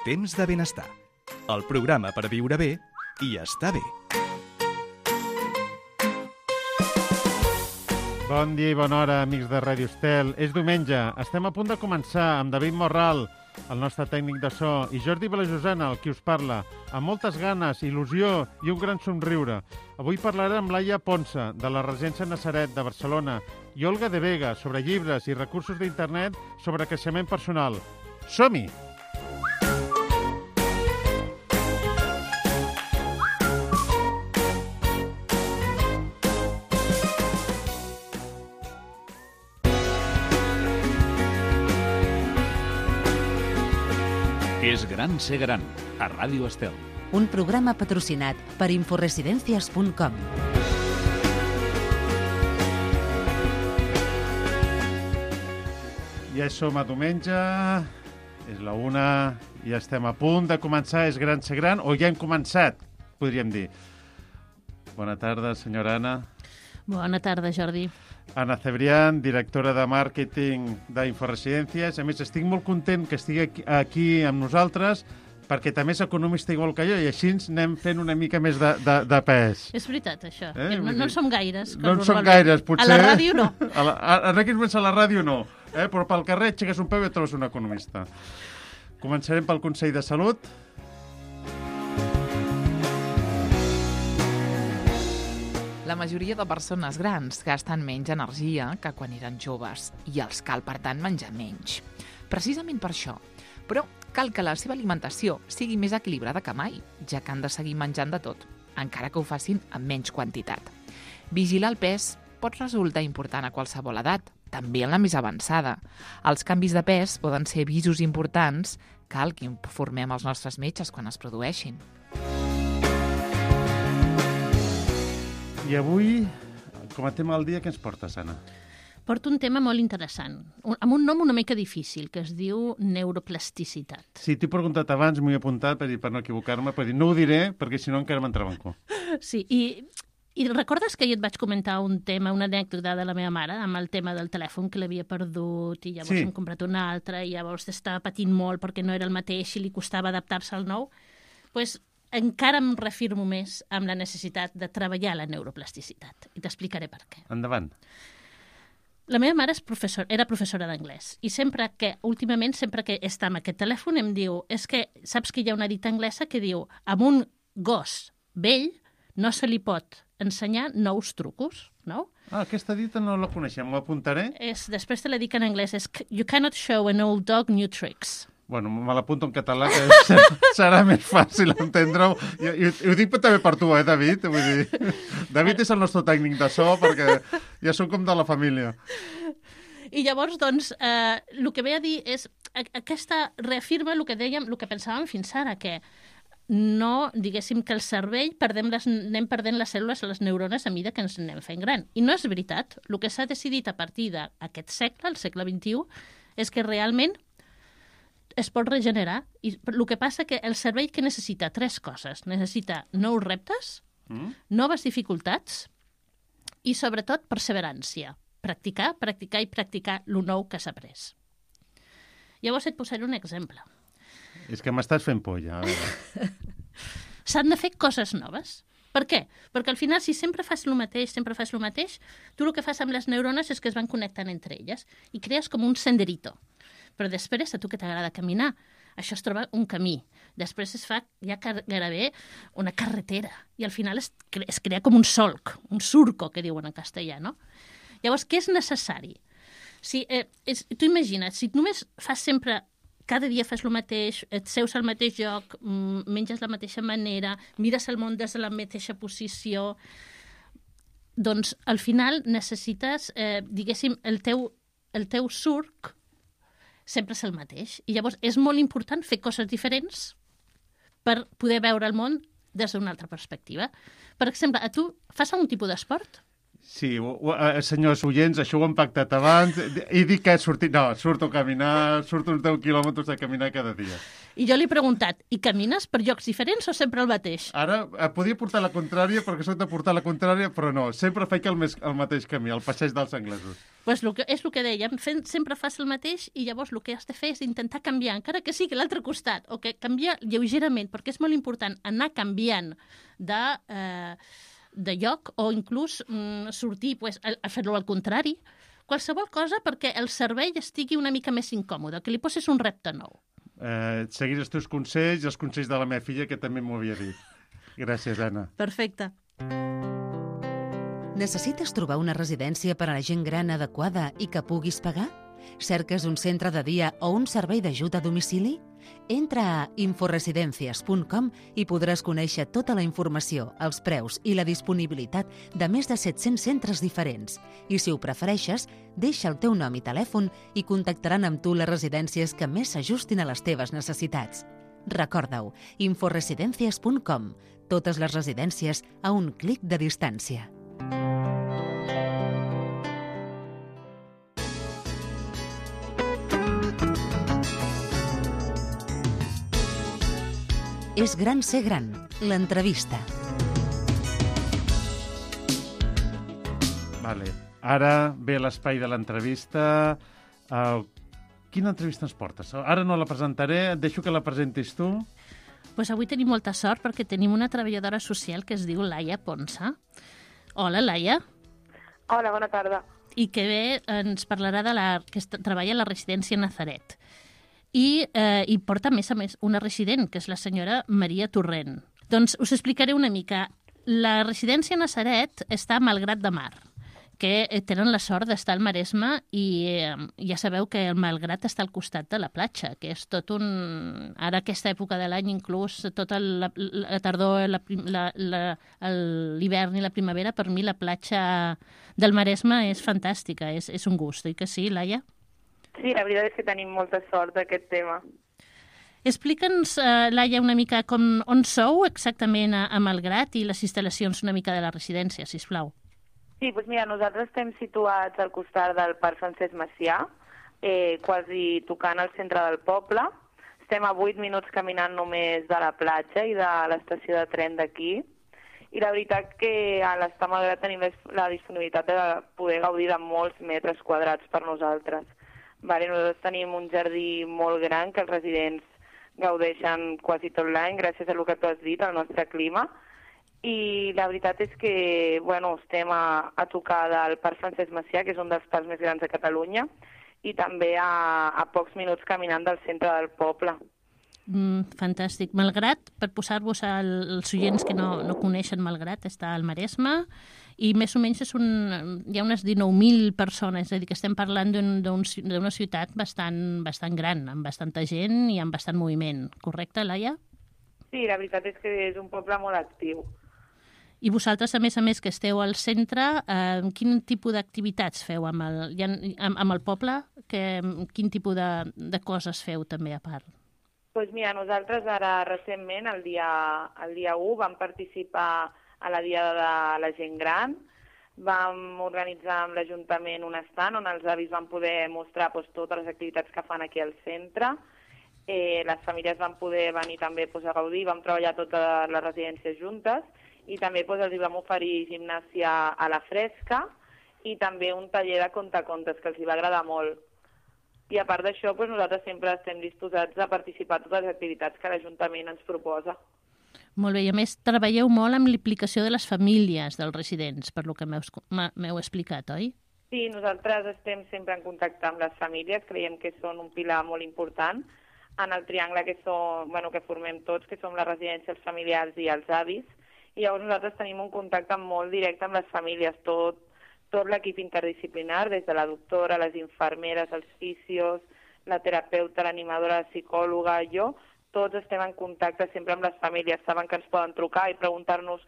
Temps de benestar. El programa per viure bé i estar bé. Bon dia i bona hora, amics de Ràdio Estel. És diumenge. Estem a punt de començar amb David Morral, el nostre tècnic de so, i Jordi Vilajosana, el qui us parla, amb moltes ganes, il·lusió i un gran somriure. Avui parlarem amb Laia Ponsa, de la Residència Natzaret de Barcelona, i Olga de Vega, sobre llibres i recursos d'internet sobre creixement personal. Som-hi! És gran ser gran, a Ràdio Estel. Un programa patrocinat per inforesidencias.com. Ja som a diumenge, és la 1, ja estem a punt de començar És gran ser gran, o ja hem començat, podríem dir. Bona tarda, senyora Anna. Bona tarda, Jordi. Anna Cebrián, directora de màrqueting d'Inforesidències. A més, estic molt content que estigui aquí amb nosaltres perquè també és economista igual que jo i així ens anem fent una mica més de pes. És veritat, això. No en som gaires. No en som gaires, potser. A la ràdio no. En aquests moments a la ràdio no, però pel carrer aixeques un peu i et trobes un economista. Començarem pel Consell de Salut. La majoria de persones grans gasten menys energia que quan eren joves i els cal, per tant, menjar menys. Precisament per això. Però cal que la seva alimentació sigui més equilibrada que mai, ja que han de seguir menjant de tot, encara que ho facin amb menys quantitat. Vigilar el pes pot resultar important a qualsevol edat, també en la més avançada. Els canvis de pes poden ser avisos importants, cal que informem els nostres metges quan es produeixin. I avui, com a tema del dia, què ens portes, Anna? Porto un tema molt interessant, amb un nom una mica difícil, que es diu neuroplasticitat. Sí, t'he preguntat abans, m'ho he apuntat per no equivocar-me, per dir, no ho diré, perquè si no encara m'entrava en cor. Sí, i recordes que jo et vaig comentar un tema, una anècdota de la meva mare, amb el tema del telèfon que l'havia perdut, i llavors hem comprat un altre, i llavors estava patint molt perquè no era el mateix i li costava adaptar-se al nou? Doncs encara em reafirmo més amb la necessitat de treballar la neuroplasticitat. I t'explicaré per què. Endavant. La meva mare era professora d'anglès i últimament, sempre que està amb aquest telèfon, em diu, és que saps que hi ha una dita anglesa que diu, amb un gos vell no se li pot ensenyar nous trucos, no? Ah, aquesta dita no la coneixem, m'ho apuntaré. Després te la dic en anglès, és you cannot show an old dog new tricks. Bueno, me l'apunto en català, que serà més fàcil entendre-ho. I ho dic també per tu, David? Vull dir, David és el nostre tècnic de so, perquè ja som com de la família. I llavors, doncs, el que ve a dir és, aquesta reafirma el que dèiem, el que pensàvem fins ara, que no, diguéssim, que el cervell anem perdent les cèl·lules, les neurones, a mesura que ens anem fent gran. I no és veritat. El que s'ha decidit a partir d'aquest segle, el segle XXI, és que realment es pot regenerar. I el que passa que el cervell que necessita 3 coses. Necessita nous reptes, noves dificultats i, sobretot, perseverància. Practicar, practicar i practicar el nou que s'ha après. Llavors et posaré un exemple. És que m'estàs fent por, ja. S'han de fer coses noves. Per què? Perquè al final, si sempre fas el mateix, tu el que fas amb les neurones és que es van connectant entre elles i crees com un senderito. Però després, a tu que t'agrada caminar, això es troba un camí. Després es fa ja gairebé una carretera. I al final es crea com un solc, un surco, que diuen en castellà, no? Llavors, què és necessari? Tu imagina't, si només fas sempre, cada dia fas el mateix, et seus al mateix lloc, menges de la mateixa manera, mires el món des de la mateixa posició, doncs al final necessites, diguéssim, el teu surc sempre és el mateix. I llavors és molt important fer coses diferents per poder veure el món des d'una altra perspectiva. Per exemple, tu fas algun tipus d'esport? Sí, senyors oients, això ho hem pactat abans. He dit que surto a caminar, surto uns 10 quilòmetres a caminar cada dia. I jo li he preguntat, i camines per llocs diferents o sempre el mateix? Ara podia portar la contrària perquè soc de portar la contrària, però no, sempre faig el mateix camí, el passeig dels anglesos. Pues és el que dèiem, sempre fas el mateix i llavors el que has de fer és intentar canviar, encara que sigui a l'altre costat, o que canviar lleugerament, perquè és molt important anar canviant de lloc o inclús sortir a fer-lo al contrari, qualsevol cosa perquè el cervell estigui una mica més incòmode, que li poses un repte nou. Seguir els teus consells i els consells de la meva filla, que també m'ho havia dit. Gràcies, Anna. Perfecte. Necessites trobar una residència per a la gent gran adequada i que puguis pagar? Cerques un centre de dia o un servei d'ajuda a domicili? Entra a inforesidencias.com i podràs conèixer tota la informació, els preus i la disponibilitat de més de 700 centres diferents. I si ho prefereixes, deixa el teu nom i telèfon i contactaran amb tu les residències que més s'ajustin a les teves necessitats. Recorda-ho, inforesidencias.com. Totes les residències a un clic de distància. És gran ser gran, l'entrevista. Vale. Ara ve l'espai de l'entrevista. Quina entrevista ens portes? Ara no la presentaré, et deixo que la presentis tu. Pues avui tenim molta sort perquè tenim una treballadora social que es diu Laia Ponsa. Hola, Laia. Hola, bona tarda. I que bé ens parlarà que treballa a la residència Nazaret. I porta, a més, una resident, que és la senyora Maria Torrent. Doncs us explicaré una mica. La residència Nazaret està a Malgrat de Mar, que tenen la sort d'estar al Maresme i ja sabeu que el Malgrat està al costat de la platja, que és tot un... Ara, aquesta època de l'any, inclús tota la tardor, l'hivern i la primavera, per mi la platja del Maresme és fantàstica, és un gust, oi que sí, Laia? Sí, la veritat és que tenim molta sort d'aquest tema. Explica'ns, Laia, una mica on sou exactament a Malgrat i les instal·lacions una mica de la residència, sisplau. Sí, doncs mira, nosaltres estem situats al costat del Parc Francesc Macià, quasi tocant al centre del poble. Estem a 8 minuts caminant només de la platja i de l'estació de tren d'aquí. I la veritat que a l'estar a Malgrat tenim la disponibilitat de poder gaudir de molts metres quadrats per nosaltres. Nosaltres tenim un jardí molt gran que els residents gaudeixen quasi tot l'any, gràcies a el que tu has dit, al nostre clima. I la veritat és que estem a tocar del Parc Francesc Macià, que és un dels parcs més grans de Catalunya, i també a pocs minuts caminant del centre del poble. Fantàstic. Malgrat, per posar-vos als oients que no coneixen Malgrat, està al Maresme i més o menys hi ha unes 19.000 persones, és a dir, que estem parlant d'una ciutat bastant gran, amb bastanta gent i amb bastant moviment. Correcte, Laia? Sí, la veritat és que és un poble molt actiu. I vosaltres, a més, que esteu al centre, quin tipus d'activitats feu amb el poble? Quin tipus de coses feu també a part? Doncs mira, nosaltres ara recentment, el dia 1, vam participar a la Diada de la Gent Gran. Vam organitzar amb l'Ajuntament un estand on els avis van poder mostrar totes les activitats que fan aquí al centre. Les famílies van poder venir també a gaudir, vam treballar totes les residències juntes i també els vam oferir gimnàsia a la fresca i també un taller de contacontes que els va agradar molt. I a part d'això, nosaltres sempre estem disposats a participar en totes les activitats que l'Ajuntament ens proposa. Molt bé, i a més treballeu molt amb l'implicació de les famílies dels residents, per lo que m'heu explicat, oi? Sí, nosaltres estem sempre en contacte amb les famílies, creiem que són un pilar molt important en el triangle que formem tots, que som la residència, els familiars i els avis, i llavors nosaltres tenim un contacte molt directe amb les famílies, tot l'equip interdisciplinar, des de la doctora, les infermeres, els fisios, la terapeuta, l'animadora, la psicòloga, jo, tots estem en contacte sempre amb les famílies, saben que ens poden trucar i preguntar-nos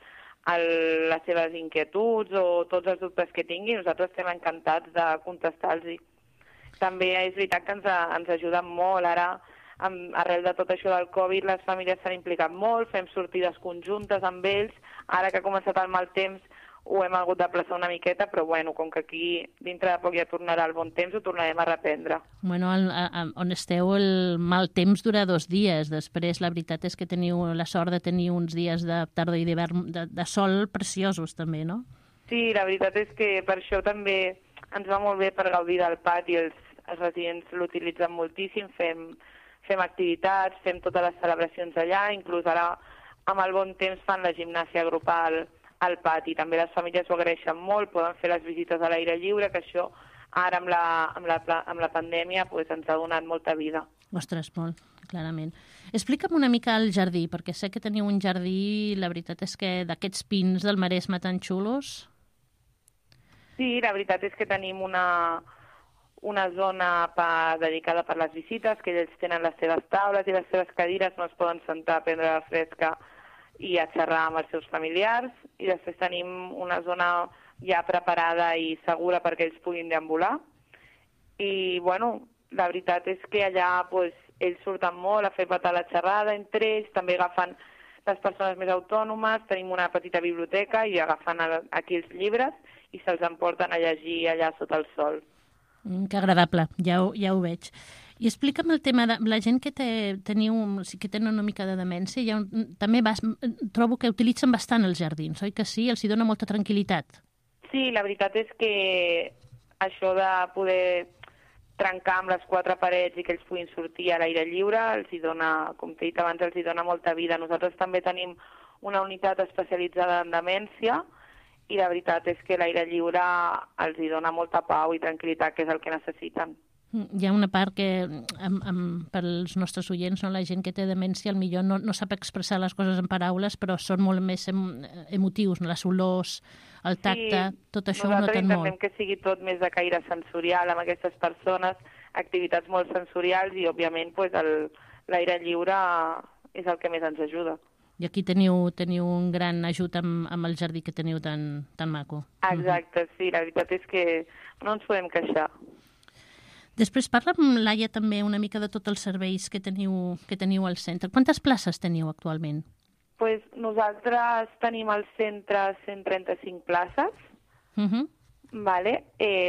les seves inquietuds o tots els dubtes que tinguin, nosaltres estem encantats de contestar-los. També és veritat que ens ajuden molt, ara, arrel de tot això del Covid, les famílies s'han implicat molt, fem sortides conjuntes amb ells, ara que ha començat el mal temps, ho hem hagut de plaçar una miqueta, però bueno, com que aquí dintre de poc ja tornarà el bon temps, ho tornarem a reprendre. Bueno, on esteu el mal temps dura 2 dies. Després, la veritat és que teniu la sort de tenir uns dies de tardor i d'hivern de sol preciosos, també, no? Sí, la veritat és que per això també ens va molt bé per gaudir del pati. Els residents l'utilitzen moltíssim, fem activitats, fem totes les celebracions allà, inclús ara amb el bon temps fan la gimnàsia grupal al pati. També les famílies ho agraeixen molt, poden fer les visites a l'aire lliure, que això ara amb la pandèmia pues, ens ha donat molta vida. Ostres, molt, clarament. Explica'm una mica el jardí, perquè sé que teniu un jardí, la veritat és que d'aquests pins del Maresme tan xulos. Sí, la veritat és que tenim una zona dedicada per les visites, que ells tenen les seves taules i les seves cadires, no es poden sentar a prendre la fresca i a xerrar amb els seus familiars, i després tenim una zona ja preparada i segura perquè ells puguin deambular. I, bueno, la veritat és que allà pues, ells surten molt a fer petar la xerrada entre ells, també agafen les persones més autònomes, tenim una petita biblioteca i agafen aquí els llibres i se'ls emporten a llegir allà sota el sol. Que agradable, ja ho veig. I explica'm el tema de la gent que tenen una mica de demència. També trobo que utilitzen bastant els jardins, oi que sí? Els hi dona molta tranquil·litat. Sí, la veritat és que això de poder trencar amb les 4 parets i que ells puguin sortir a l'aire lliure, els hi dona, com t'he dit abans, els hi dona molta vida. Nosaltres també tenim una unitat especialitzada en demència i la veritat és que l'aire lliure els hi dona molta pau i tranquil·litat, que és el que necessiten. Hi ha una part que, pels nostres oients, no? La gent que té demència millor no sap expressar les coses en paraules, però són molt més emotius, no? Les olors, el tacte, sí, tot això ho noten molt. Nosaltres intentem que sigui tot més de caire sensorial amb aquestes persones, activitats molt sensorials i, òbviament, pues, l'aire lliure és el que més ens ajuda. I aquí teniu un gran ajut amb el jardí que teniu tan maco. Exacte, sí, la veritat és que no ens podem queixar. Després parla amb Laia també una mica de tots els serveis que teniu al centre. Quantes places teniu actualment? Pues nosaltres tenim al centre 135 places. Vale?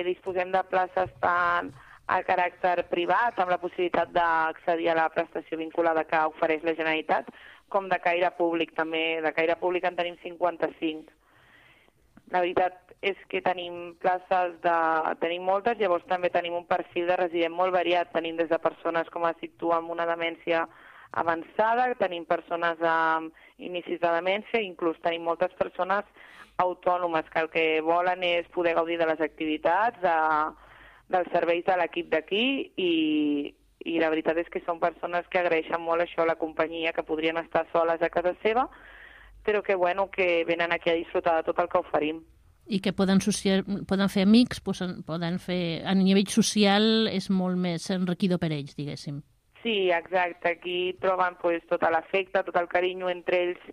Disposem de places tant a caràcter privat, amb la possibilitat d'accedir a la prestació vinculada que ofereix la Generalitat, com de caire públic també. De caire públic en tenim 55. La veritat és que tenim places tenim moltes, llavors també tenim un perfil de resident molt variat. Tenim des de persones, com has dit tu, amb una demència avançada, tenim persones amb inicis de demència, inclús tenim moltes persones autònomes que el que volen és poder gaudir de les activitats, dels serveis de l'equip d'aquí i la veritat és que són persones que agraeixen molt això a la companyia, que podrien estar soles a casa seva, però que, bueno, que venen aquí a disfrutar de tot el que oferim. I que poden fer amics, poden fer... A nivell social és molt més enriquidor per ells, diguéssim. Sí, exacte. Aquí troben pues, tot l'afecte, tot el carinyo entre ells,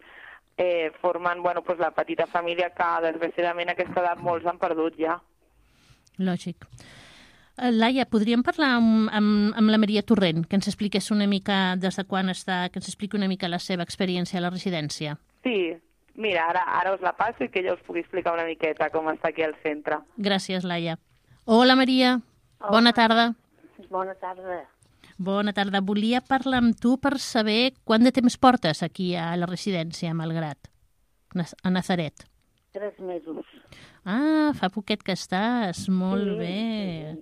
formant pues, la petita família que, desgraciadament, a aquesta edat molts han perdut ja. Lògic. Laia, podríem parlar amb la Maria Torrent, que ens expliqués una mica des de quan està, que ens expliqui una mica la seva experiència a la residència? Sí, mira, ara us la passo i que ella us pugui explicar una miqueta com està aquí al centre. Gràcies, Laia. Hola, Maria. Hola. Bona tarda. Bona tarda. Bona tarda. Volia parlar amb tu per saber quant de temps portes aquí a la residència, a Malgrat, a Nazaret. 3 mesos. Ah, fa poquet que estàs. Molt bé.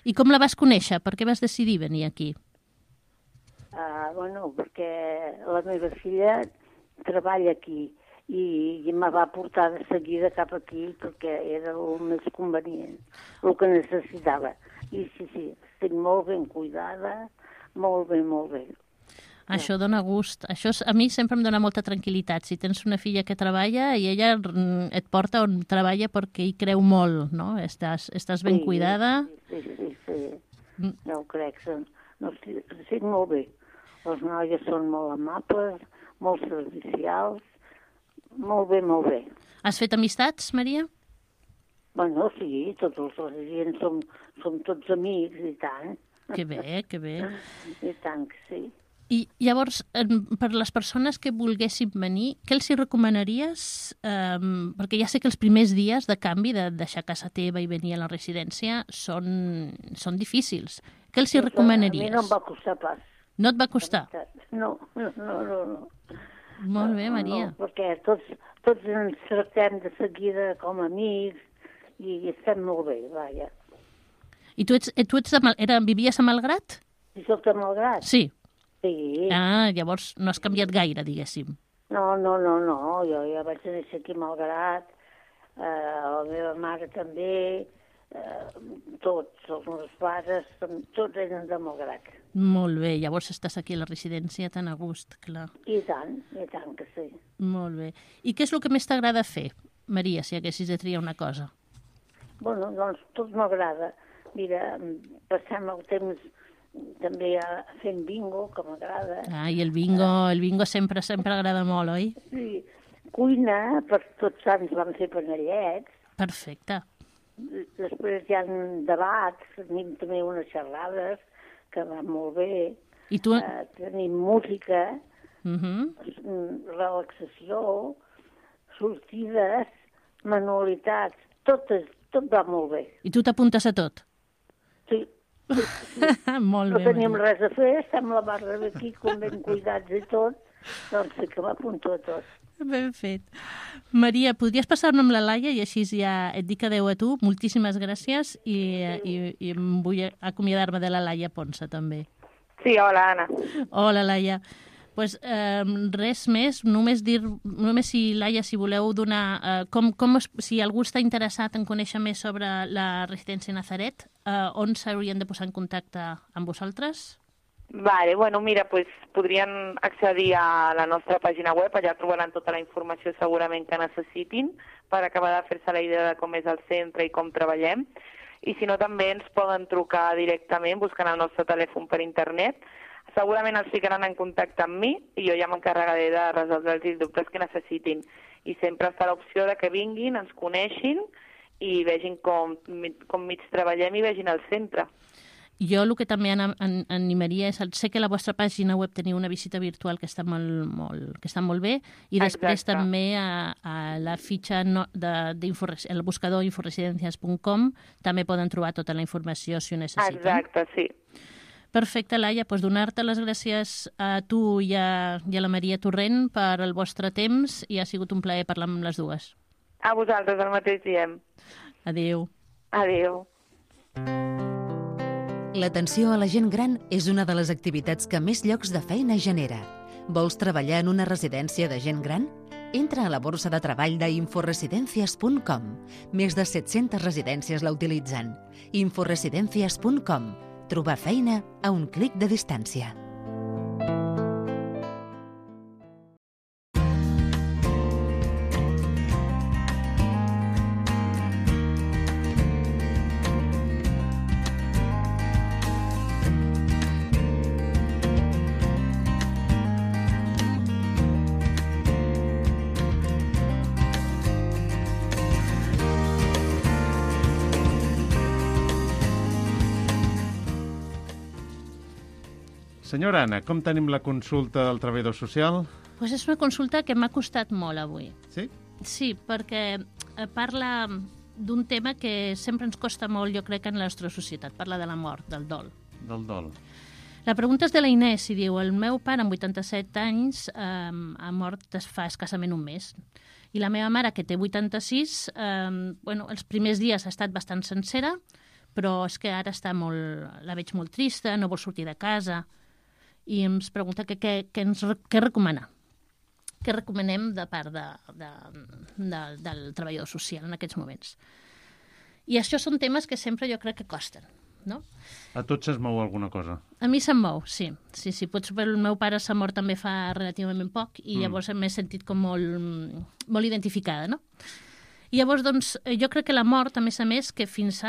I com la vas conèixer? Per què vas decidir venir aquí? Bueno, perquè la meva filla treballa aquí i me va portar de seguida cap aquí perquè era el més convenient, el que necessitava. I sí, estic molt ben cuidada, molt bé. Això dona gust. Això a mi sempre em dona molta tranquil·litat. Si tens una filla que treballa i ella et porta on treballa perquè hi creu molt, no? Estàs ben cuidada. Sí. Ja ho crec. No, estic molt bé. Les noies són molt amables, molt servicials, molt bé. Has fet amistats, Maria? Bueno, sí, tots els residents som tots amics, i tant. Que bé. I tant que sí. I llavors, per les persones que volguessin venir, què els hi recomanaries? Perquè ja sé que els primers dies de canvi, de deixar casa teva i venir a la residència, són difícils. Què els hi recomanaries? A mi no em va costar pas. No et va costar? No. Molt bé, Maria. No, perquè tots ens tractem de seguida com a amics i estem molt bé, vaja. I tu vivies a Malgrat? Si soc de Malgrat? Sí. Sí. Ah, llavors no has canviat gaire, diguéssim. No, jo ja vaig néixer aquí a Malgrat, la meva mare també, tots els meus pares, tots eren de Malgrat. Molt bé, llavors estàs aquí a la residència tan a gust, clar. I tant que sí. Molt bé. I què és el que més t'agrada fer, Maria, si haguessis de triar una cosa? Bueno, doncs tot m'agrada. Mira, passem el temps també fent bingo, que m'agrada. Ah, i el bingo sempre agrada molt, oi? Sí. Cuina, per tots sants vam fer panellets. Perfecte. Després hi ha debats, tenim també unes xerrades que van molt bé. I tu... Tenim música, relaxació, sortides, manualitats, tot va molt bé. I tu t'apuntes a tot? Sí. Molt bé. No tenim Maria. res a fer, estem la barra d'aquí, com ben cuidats i tot, doncs sí que m'apunto a tot. Ben fet. Maria, podries passar-me amb la Laia i així ja et dic adeu a tu. Moltíssimes gràcies i vull acomiadar-me de la Laia Ponsa també. Sí, hola, Anna. Hola, Laia. Pues, res més, només si, Laia, si voleu donar... si algú està interessat en conèixer més sobre la residència Nazaret, on s'haurien de posar en contacte amb vosaltres? Vale, bueno, mira, pues podrien accedir a la nostra pàgina web, allà trobaran tota la informació segurament que necessitin per acabar de fer-se la idea de com és el centre i com treballem. I si no, també ens poden trucar directament buscant el nostre telèfon per internet. Segurament els ficaran en contacte amb mi i jo ja m'encarregaré de resoldre els dubtes que necessitin. I sempre està l'opció de que vinguin, ens coneixin i vegin com mig treballem i vegin el centre. Jo el que també animaria és... Sé que a la vostra pàgina web teniu una visita virtual que està molt bé i després també a la fitxa el buscador inforesidencias.com també poden trobar tota la informació si ho necessiten. Exacte, sí. Perfecte, Laia, doncs donar-te les gràcies a tu i a la Maria Torrent per el vostre temps i ha sigut un plaer parlar amb les dues. A vosaltres el mateix diem. Adéu. Adéu. L'atenció a la gent gran és una de les activitats que més llocs de feina genera. Vols treballar en una residència de gent gran? Entra a la borsa de treball d'inforesidencias.com. Més de 700 residències la utilitzen. inforesidencias.com. Trobar feina a un clic de distància. Senyora Anna, com tenim la consulta del treballador social? Pues és una consulta que m'ha costat molt avui. Sí? Sí, perquè parla d'un tema que sempre ens costa molt, jo crec, en la nostra societat. Parla de la mort, del dol. Del dol. La pregunta és de la Inés i diu: el meu pare, amb 87 anys, ha mort fa escassament un mes. I la meva mare, que té 86, els primers dies ha estat bastant sencera, però és que ara la veig molt trista, no vol sortir de casa, i ens pregunta què recomana. Què recomanem de part del treballador social en aquests moments. I això són temes que sempre jo crec que costen, no? A tots se'ns mou alguna cosa? A mi se'm mou, sí. El meu pare s'ha mort també fa relativament poc i llavors m'he sentit com molt identificada, no? I llavors, doncs, jo crec que la mort, a més, fins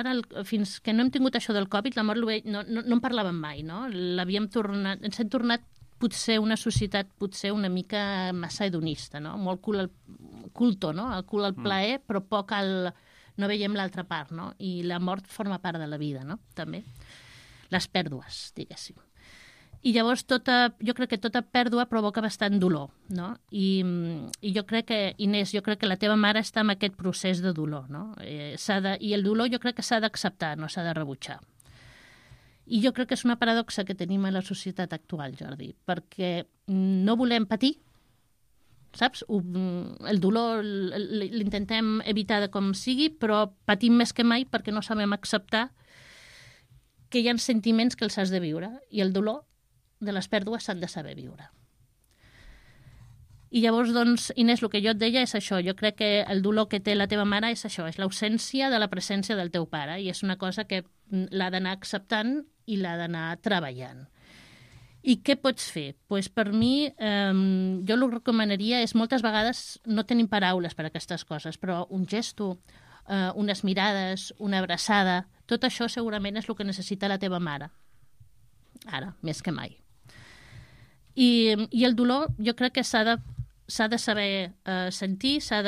que no hem tingut això del Covid, la mort no en parlàvem mai, no? Ens hem tornat potser una societat una mica massa hedonista, no? Molt culto, no? El cul al plaer, però poc no veiem l'altra part, no? I la mort forma part de la vida, no? També. Les pèrdues, diguéssim. I llavors jo crec que tota pèrdua provoca bastant dolor, no? I jo crec que, Inés, la teva mare està en aquest procés de dolor, no? I el dolor jo crec que s'ha d'acceptar, no s'ha de rebutjar. I jo crec que és una paradoxa que tenim a la societat actual, Jordi, perquè no volem patir, saps? El dolor l'intentem evitar de com sigui, però patim més que mai perquè no sabem acceptar que hi ha sentiments que els has de viure i el dolor de les pèrdues s'han de saber viure. I llavors, doncs, Inés, el que jo et deia és això. Jo crec que el dolor que té la teva mare és això, és l'ausència de la presència del teu pare i és una cosa que l'ha d'anar acceptant i l'ha d'anar treballant. I què pots fer? Pues per mi, jo el que recomanaria és, moltes vegades no tenim paraules per a aquestes coses, però un gesto, unes mirades, una abraçada, tot això segurament és el que necessita la teva mare. Ara, més que mai. I el dolor jo crec que s'ha de saber sentir, t'ha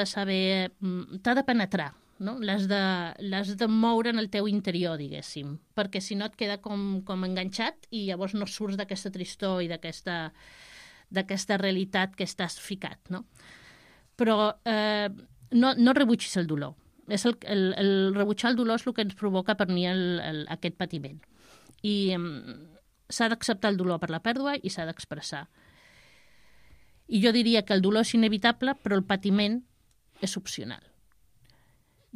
de penetrar, no? L'has de moure en el teu interior, diguéssim, perquè si no et queda com enganxat i llavors no surts d'aquesta tristor i d'aquesta realitat que estàs ficat, no? Però no rebutgis el dolor. El rebutjar el dolor és el que ens provoca per mi aquest patiment. I s'ha d'acceptar el dolor per la pèrdua i s'ha d'expressar. I jo diria que el dolor és inevitable, però el patiment és opcional.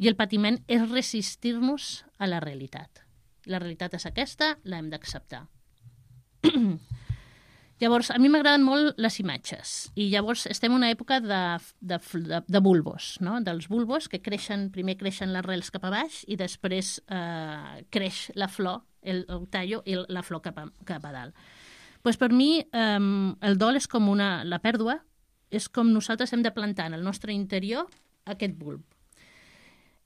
I el patiment és resistir-nos a la realitat. La realitat és aquesta, l'hem d'acceptar. Llavors, a mi m'agraden molt les imatges. I llavors estem en una època de bulbos, no? Dels bulbos que primer creixen les rels cap a baix i després creix la flor, el tallo i la flor cap a dalt. Pues per mi el dol és com la pèrdua, és com nosaltres hem de plantar en el nostre interior aquest bulb.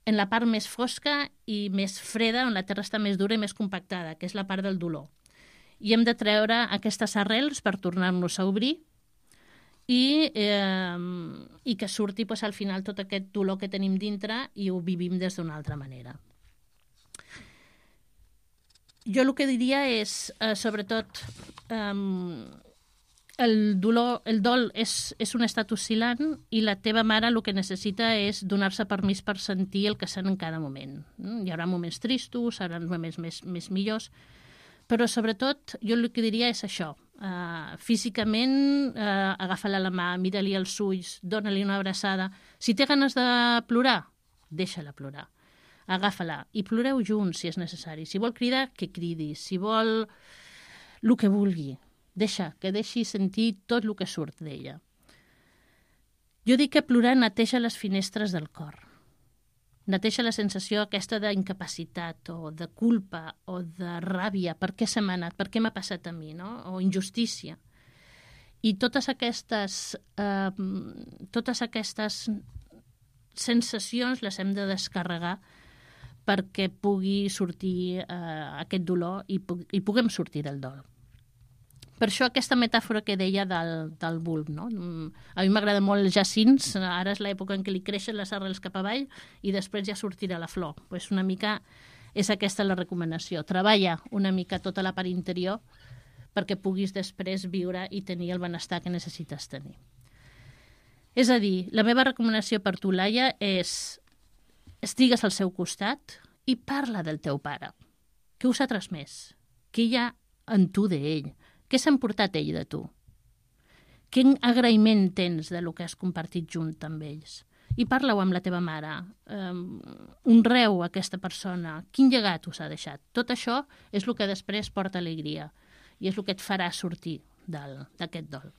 En la part més fosca i més freda, on la terra està més dura i més compactada, que és la part del dolor. I hem de treure aquestes arrels per tornar-nos a obrir i que surti al final tot aquest dolor que tenim dintre i ho vivim des d'una altra manera. Jo el que diria és, sobretot, el dol és un estat oscil·lant i la teva mare el que necessita és donar-se permís per sentir el que sent en cada moment. Hi haurà moments tristos, hi haurà moments més millors, però sobretot jo el que diria és això. Físicament, agafa-la la mà, mira-li els ulls, dona-li una abraçada. Si té ganes de plorar, deixa-la plorar. Agafa-la i ploreu junts si és necessari. Si vol cridar, que cridi. Si vol el que vulgui. Que deixi sentir tot el que surt d'ella. Jo dic que plorar neteja les finestres del cor. Neteja la sensació aquesta d'incapacitat o de culpa o de ràbia. Per què se m'ha anat? Per què m'ha passat a mi? No? O injustícia. I totes aquestes sensacions les hem de descarregar perquè pugui sortir aquest dolor i puguem sortir del dol. Per això aquesta metàfora que deia del bulb, no? A mi m'agrada molt els jacins, ara és l'època en què li creixen les arrels cap avall i després ja sortirà la flor. Pues una mica és aquesta la recomanació. Treballa una mica tota la part interior perquè puguis després viure i tenir el benestar que necessites tenir. És a dir, la meva recomanació per tu, Laia, és estigues al seu costat i parla del teu pare. Què us ha transmès? Què hi ha en tu d'ell? Què s'ha emportat ell de tu? Quin agraïment tens de lo que has compartit junt amb ells? I parla-ho amb la teva mare. Honreu aquesta persona. Quin llegat us ha deixat? Tot això és el que després porta alegria i és el que et farà sortir d'aquest dol.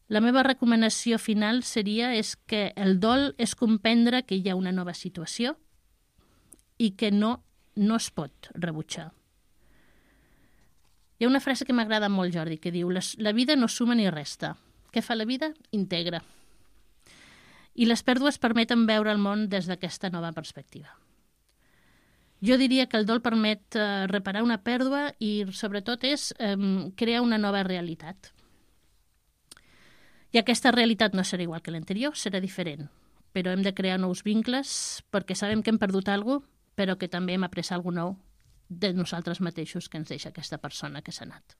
La meva recomanació final és que el dol és comprendre que hi ha una nova situació i que no es pot rebutjar. Hi ha una frase que m'agrada molt, Jordi, que diu la vida no suma ni resta. Què fa la vida? Integra. I les pèrdues permeten veure el món des d'aquesta nova perspectiva. Jo diria que el dol permet reparar una pèrdua i, sobretot, és crear una nova realitat. I aquesta realitat no serà igual que l'anterior, serà diferent. Però hem de crear nous vincles perquè sabem que hem perdut alguna cosa, però que també hem après alguna cosa nou de nosaltres mateixos que ens deixa aquesta persona que s'ha anat.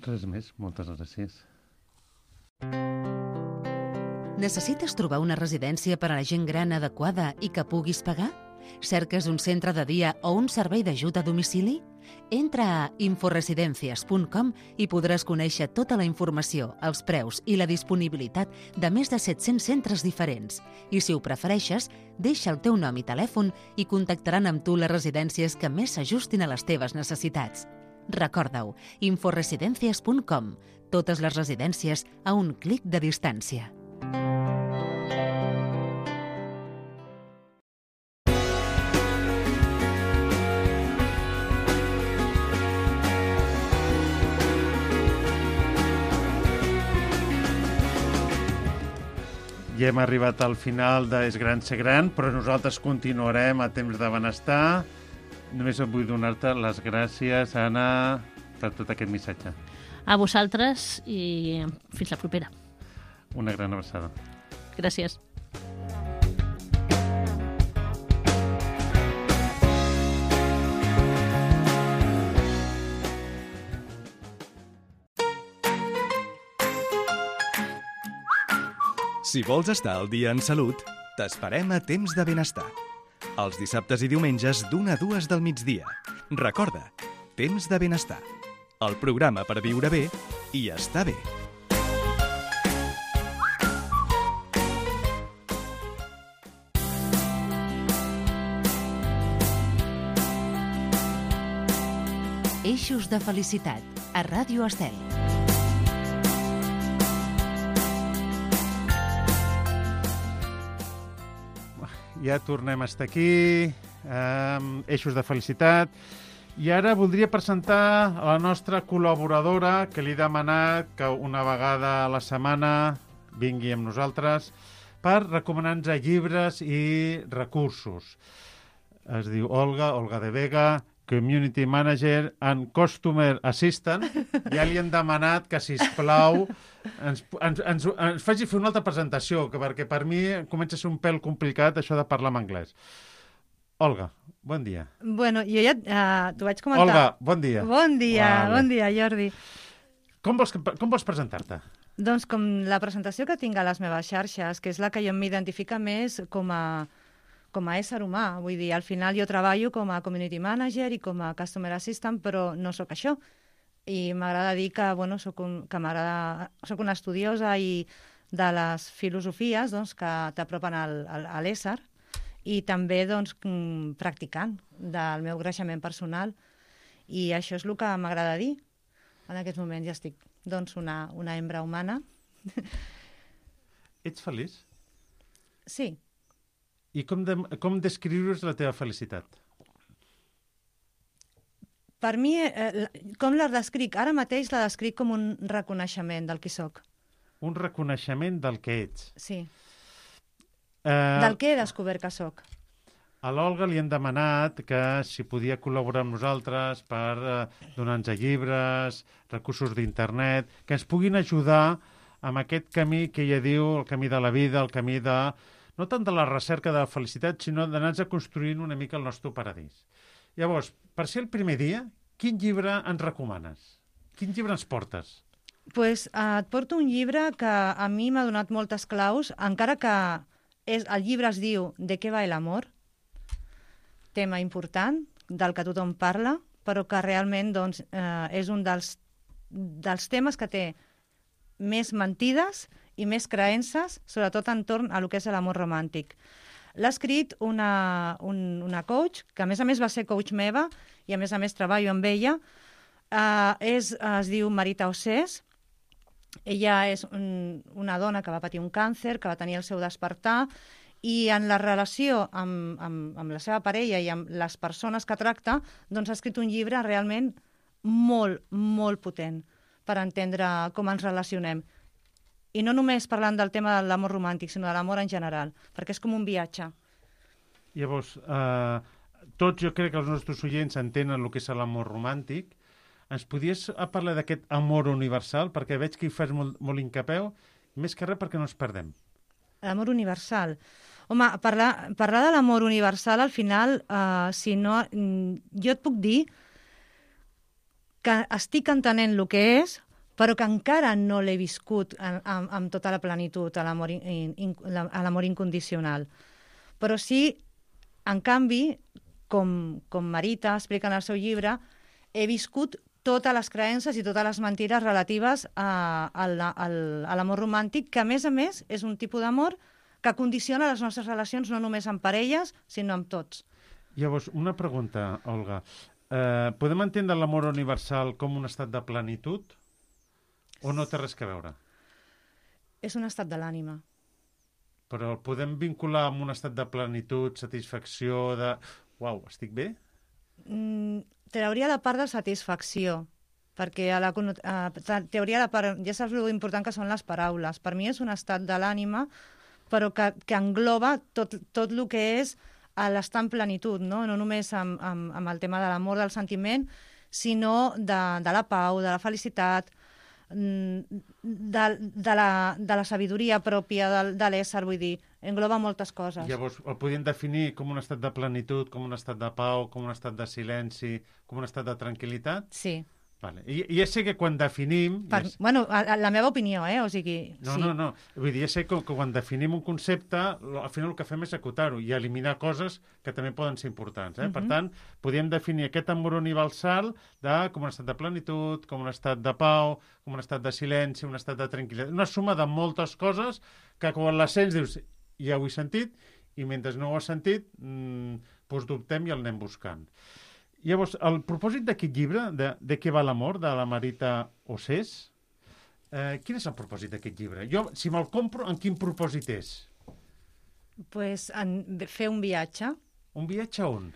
Res més, moltes gràcies. Necessites trobar una residència per a la gent gran adequada i que puguis pagar? Cerques un centre de dia o un servei d'ajut a domicili? Entra a inforesidencias.com i podràs conèixer tota la informació, els preus i la disponibilitat de més de 700 centres diferents. I si ho prefereixes, deixa el teu nom i telèfon i contactaran amb tu les residències que més s'ajustin a les teves necessitats. Recorda-ho, inforesidencias.com. Totes les residències a un clic de distància. Ja hem arribat al final d'És gran ser gran, però nosaltres continuarem a Temps de Benestar. Només vull donar-te les gràcies, Anna, per tot aquest missatge. A vosaltres i fins la propera. Una gran abraçada. Gràcies. Si vols estar al dia en salut, t'esperem a Temps de Benestar. Els dissabtes i diumenges d'1 a 2 del migdia. Recorda, Temps de Benestar. El programa per viure bé i estar bé. Eixos de felicitat, a Ràdio Estel. Ja tornem a estar aquí, Eixos de felicitat. I ara voldria presentar a la nostra col·laboradora, que li he demanat que una vegada a la setmana vingui amb nosaltres per recomanar-nos llibres i recursos. Es diu Olga de Vega, Community Manager and Customer Assistant. Ja li hem demanat que, sisplau, ens faci fer una altra presentació, perquè per mi comença a ser un pèl complicat això de parlar en anglès. Olga, bon dia. Bueno, jo ja t'ho vaig comentar. Olga, bon dia. Bon dia, vale. Bon dia, Jordi. Com vols presentar-te? Doncs com la presentació que tinc a les meves xarxes, que és la que jo m'identifica més com a ésser humà. Vull dir, al final jo treballo com a Community Manager i com a Customer Assistant, però no sóc això. I m'agrada dir que, bueno, sóc una estudiosa i de les filosofies doncs, que t'apropen a l'ésser i també doncs, practicant del meu creixement personal. I això és el que m'agrada dir. En aquests moments ja estic doncs, una hembra humana. Ets feliç? Sí. I com descrius la teva felicitat? Per mi, com la descric? Ara mateix la descric com un reconeixement del qui soc. Un reconeixement del que ets. Sí. Del que he descobert que soc. A l'Olga li hem demanat que si podia col·laborar amb nosaltres per donar-nos llibres, recursos d'internet, que ens puguin ajudar amb aquest camí que ella diu, el camí de la vida, el camí de... no tant de la recerca de la felicitat, sinó d'anar-nos construint una mica el nostre paradís. Llavors, per ser el primer dia, quin llibre ens recomanes? Quin llibre ens portes? Pues, et porto un llibre que a mi m'ha donat moltes claus, encara que el llibre es diu «De què va l'amor?», tema important, del que tothom parla, però que realment doncs, és un dels temes que té més mentides i més creences, sobretot entorn a lo que és l'amor romàntic. L'ha escrit una coach, que a més va ser coach meva, i a més treballo amb ella. Es diu Marita Ossés. Ella és una dona que va patir un càncer, que va tenir el seu despertar, i en la relació amb la seva parella i amb les persones que tracta, doncs ha escrit un llibre realment molt, molt potent per entendre com ens relacionem. I no només parlant del tema de l'amor romàntic, sinó de l'amor en general, perquè és com un viatge. Llavors, tots jo crec que els nostres oients entenen el que és l'amor romàntic. Ens podies parlar d'aquest amor universal? Perquè veig que hi fas molt incapeu, més que res perquè no ens perdem. L'amor universal. Home, parlar de l'amor universal, al final, si no, jo et puc dir que estic entenent el que és, però que encara no l'he viscut amb tota la plenitud, a l'amor incondicional. Però sí, en canvi, com Marita explica en el seu llibre, he viscut totes les creences i totes les mentides relatives a l'amor romàntic, que a més és un tipus d'amor que condiciona les nostres relacions no només amb parelles, sinó amb tots. Llavors, una pregunta, Olga. Podem entendre l'amor universal com un estat de plenitud o no té res a veure? És un estat de l'ànima. Però el podem vincular amb un estat de plenitud, satisfacció, de... Uau, estic bé? Trauria la part de satisfacció, perquè trauria la part... Ja saps l'important que són les paraules. Per mi és un estat de l'ànima, però que engloba tot el que és l'estar en plenitud, no només amb el tema de l'amor, del sentiment, sinó de la pau, de la felicitat, de la sabidoria pròpia de l'ésser, vull dir, engloba moltes coses. Llavors, el podríem definir com un estat de plenitud, com un estat de pau, com un estat de silenci, com un estat de tranquil·litat? Sí. Vale. I ja sé que quan definim... Bueno, la meva opinió, o sigui... No. Vull dir, ja sé que quan definim un concepte, al final el que fem és acotar-ho i eliminar coses que també poden ser importants. Per tant, podríem definir aquest amor universal com un estat de plenitud, com un estat de pau, com un estat de silenci, un estat de tranquil·litat. Una suma de moltes coses que quan les sents dius, ja ho he sentit, i mentre no ho has sentit, doncs dubtem i el anem buscant. Llavors, el propòsit d'aquest llibre, de què va l'amor, de la Marita Ossés, quin és el propòsit d'aquest llibre? Jo, si me'l compro, en quin propòsit és? Pues fer un viatge. Un viatge on?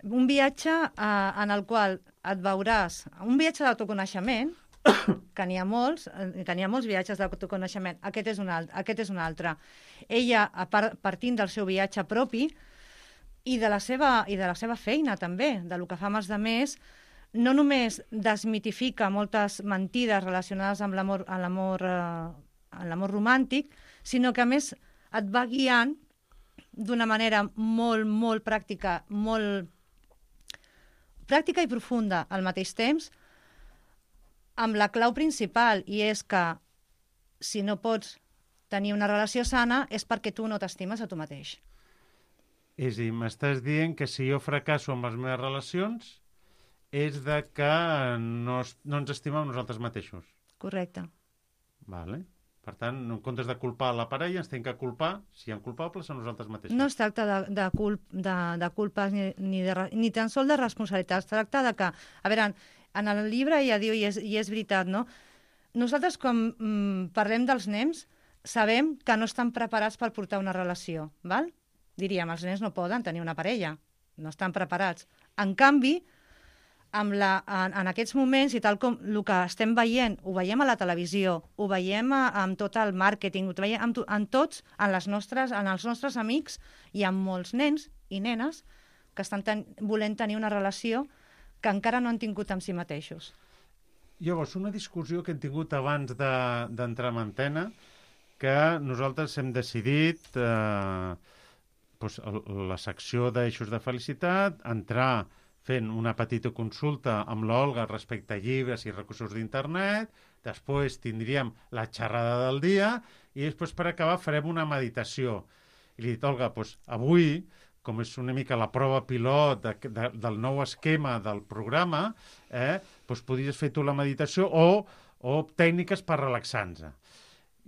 Un viatge en el qual et veuràs... Un viatge d'autoconeixement, que n'hi ha molts viatges d'autoconeixement. Aquest és un altre. Ella, partint del seu viatge propi, i de la seva feina també, del que fa amb els altres, no només desmitifica moltes mentides relacionades amb l'amor romàntic, sinó que a més et va guiant d'una manera molt, molt pràctica, molt pràctica i profunda al mateix temps, amb la clau principal, i és que si no pots tenir una relació sana és perquè tu no t'estimes a tu mateix. És a dir, m'estàs dient que si jo fracasso amb les meves relacions és de que no ens estimem nosaltres mateixos. Correcte. Vale. Per tant, en comptes de culpar la parella, ens tenim que culpar, si hi ha culpables, a nosaltres mateixos. No es tracta de culpes ni tan sols de responsabilitats. Es tracta de que, a veure, en el llibre ja diu, i és veritat, no? Nosaltres, quan parlem dels nens, sabem que no estan preparats per portar una relació, val? Diríem, els nens no poden tenir una parella, no estan preparats. En canvi, en aquests moments, i tal com el que estem veient, ho veiem a la televisió, ho veiem amb tot el màrqueting, ho veiem en tots, en els nostres amics, hi ha molts nens i nenes que estan volent tenir una relació que encara no han tingut amb si mateixos. Llavors, una discussió que hem tingut abans d'entrar en antena, que nosaltres hem decidit... la secció d'eixos de felicitat, entrar fent una petita consulta amb l'Olga respecte a llibres i recursos d'internet, després tindríem la xerrada del dia i després per acabar farem una meditació. I li he dit, Olga, avui, com és una mica la prova pilot del nou esquema del programa, podries fer tu la meditació o tècniques per relaxar-nos.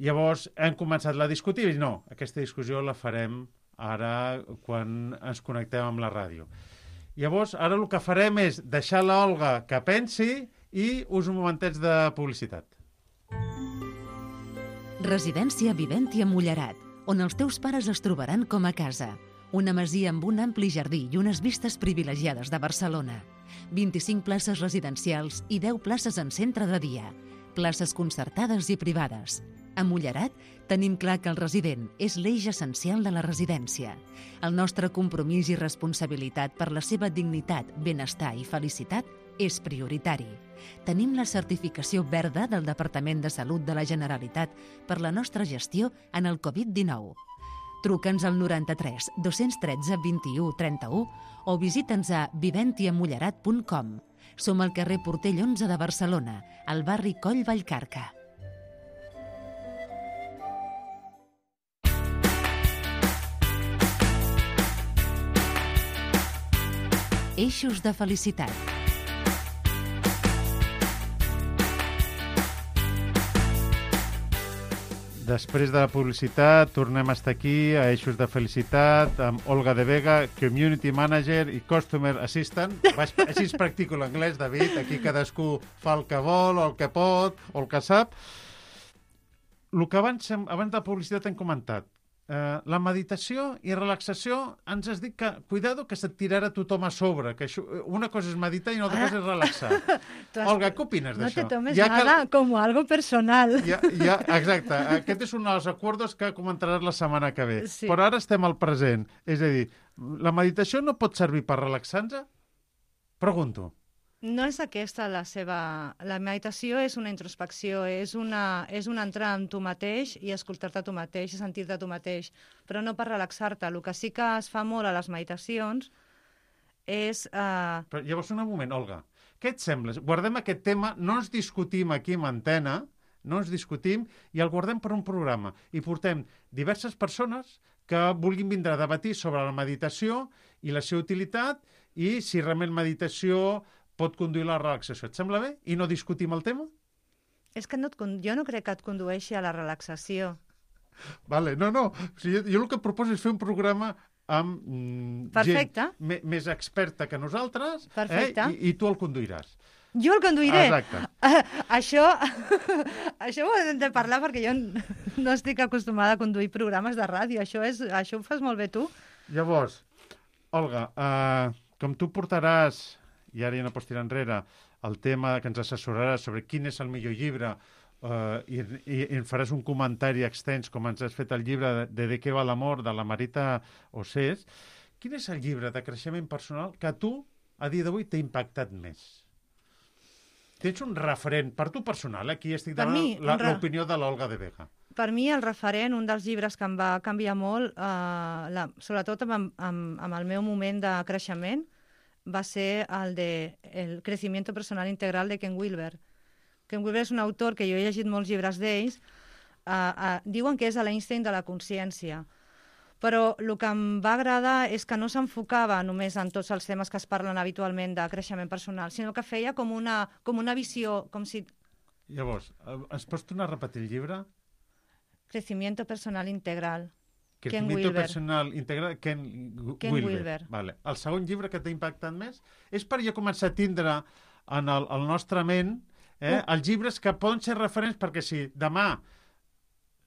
Llavors hem començat a discutir i no, aquesta discussió la farem ara quan ens connectem amb la ràdio. Llavors, ara el que farem és deixar l'Olga que pensi i us un momentets de publicitat. Residència Viventia Mullerat, on els teus pares es trobaran com a casa. Una masia amb un ampli jardí i unes vistes privilegiades de Barcelona. 25 places residencials i 10 places en centre de dia. Places concertades i privades. A Mullerat tenim clar que el resident és l'eix essencial de la residència. El nostre compromís i responsabilitat per la seva dignitat, benestar i felicitat és prioritari. Tenim la certificació verda del Departament de Salut de la Generalitat per la nostra gestió en el Covid-19. Truca'ns al 93 213 21 31 o visita'ns a viventiamullerat.com. Som al carrer Portell 11 de Barcelona, al barri Coll Vallcarca. Eixos de felicitat. Després de la publicitat, tornem a estar aquí a Eixos de Felicitat amb Olga de Vega, Community Manager i Customer Assistant. Així es practico l'anglès, David. Aquí cadascú fa el que vol, o el que pot, o el que sap. El que abans de publicitat hem comentat, la meditació i relaxació, ens has dit que, cuidado, que se't tirarà tothom a sobre, que això, una cosa és meditar i una altra cosa és relaxar. Olga, què opines d'això? No te tomes nada com algo personal. Exacte, aquest és un dels acords que comentaràs la setmana que ve. Sí. Però ara estem al present. És a dir, la meditació no pot servir per relaxar-nos? Pregunto. No és aquesta la seva... La meditació és una introspecció, és una entrar en tu mateix i escoltar-te a tu mateix i sentir-te a tu mateix, però no per relaxar-te. El que sí que es fa molt a les meditacions és... Però llavors, un moment, Olga, què et sembla? Guardem aquest tema, no ens discutim aquí en antena, no ens discutim i el guardem per un programa. I portem diverses persones que vulguin vindre a debatir sobre la meditació i la seva utilitat i si realment meditació pot conduir la relaxació. Et sembla bé? I no discutim el tema? És que jo no crec que et condueixi a la relaxació. Vale, no. O sigui, jo el que proposo és fer un programa amb gent més experta que nosaltres, i tu el conduiràs. Jo el conduiré? Exacte. Això ho hem de parlar perquè jo no estic acostumada a conduir programes de ràdio. Això ho fas molt bé tu. Llavors, Olga, com tu portaràs, i ara ja no pots tirar enrere, el tema que ens assessoraràs sobre quin és el millor llibre i en faràs un comentari extens com ens has fet el llibre de què va l'amor, de la Marita Ossés. Quin és el llibre de creixement personal que a tu, a dia d'avui, t'ha impactat més? Tens un referent, per tu personal, aquí estic demanant l'opinió de l'Olga de Vega. Per mi el referent, un dels llibres que em va canviar molt, sobretot amb el meu moment de creixement, va ser el de El crecimiento personal integral de Ken Wilber. Ken Wilber és un autor que jo he llegit molts llibres d'ells. Diuen que és l'Einstein de la consciència. Però el que em va agradar és que no s'enfocava només en tots els temes que es parlen habitualment de creixement personal, sinó que feia com una visió, com si... Llavors, ens pots tornar a repetir el llibre? Crecimiento personal integral. Crecimiento personal integral, Ken Wilber. Vale. El segon llibre que t'ha impactat més és per ja començar a tindre en el nostre ment els llibres que poden ser referents, perquè si demà,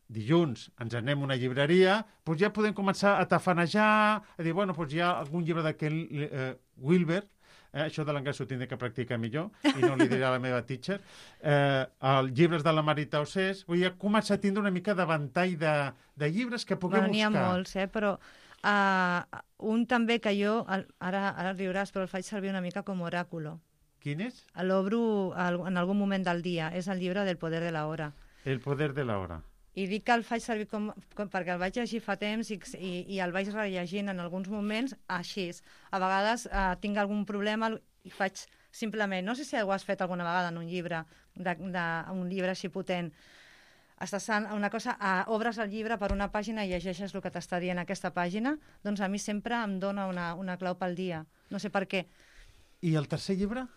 dilluns, ens anem a una llibreria, doncs ja podem començar a tafanejar, a dir, bueno, doncs hi ha algun llibre de Ken Wilber, això de l'anglès ho tindré que practicar millor i no li diré a la meva teacher, els llibres de la Marita Ossés, vull començar a tindre una mica de ventall de llibres que puguem buscar. N'hi ha molts, però un també que jo, ara riuràs, però el faig servir una mica com oràculo. Quin és? L'obro en algun moment del dia, és el llibre del poder de la hora. El poder de la hora. I dic que el faig servir perquè el vaig llegir fa temps i el vaig rellegint en alguns moments així. A vegades tinc algun problema i faig simplement... No sé si ho has fet alguna vegada en un llibre, un llibre així potent. Estàs una cosa, obres el llibre per una pàgina i llegeixes el que t'està dient aquesta pàgina, doncs a mi sempre em dona una clau pel dia. No sé per què. I el tercer llibre?